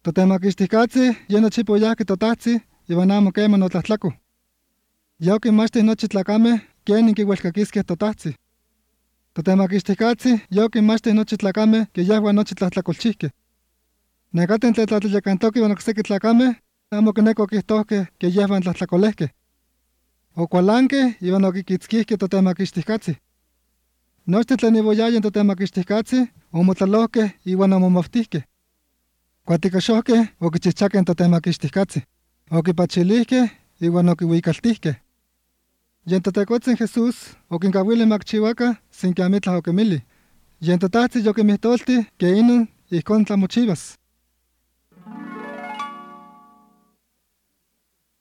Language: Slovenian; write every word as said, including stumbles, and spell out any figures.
Totemaquixtihcatzi, ye nochipa oyahque totahtzin, iwan amo queman otlahtlaco. Ya oquinmachtih nochi tlacameh quenin quiuelcaquisqueh totahtzin. Totemaquixtihcatzi, ya oquinmachtih nochi tlacameh que yahua nochi tlahtlacolchihqueh. Necaten tletlatlayacantoqueh iwan ocsequi tlacameh, amo quineco quihtohqueh que yehvan tlahtlacolehqueh. Ocualanqueh iwan oquiquitzquihqueh totemaquixtihcatzi. Nochten tlen ivoyayen totemaquixtihcatzi, omotlalohqueh iwan omomoftihqueh. Cuaticoxohqueh oquichihchaqueh totemaquixtihcatzi. Oquipachilihqueh iwan oquiuicaltihqueh. Yen Totecotzin Jesús oquincauilih macchiuaca sin que amitlah oquimilih. Yen totahtzin yoquimihtoltih que inon ijcon tlamochivas.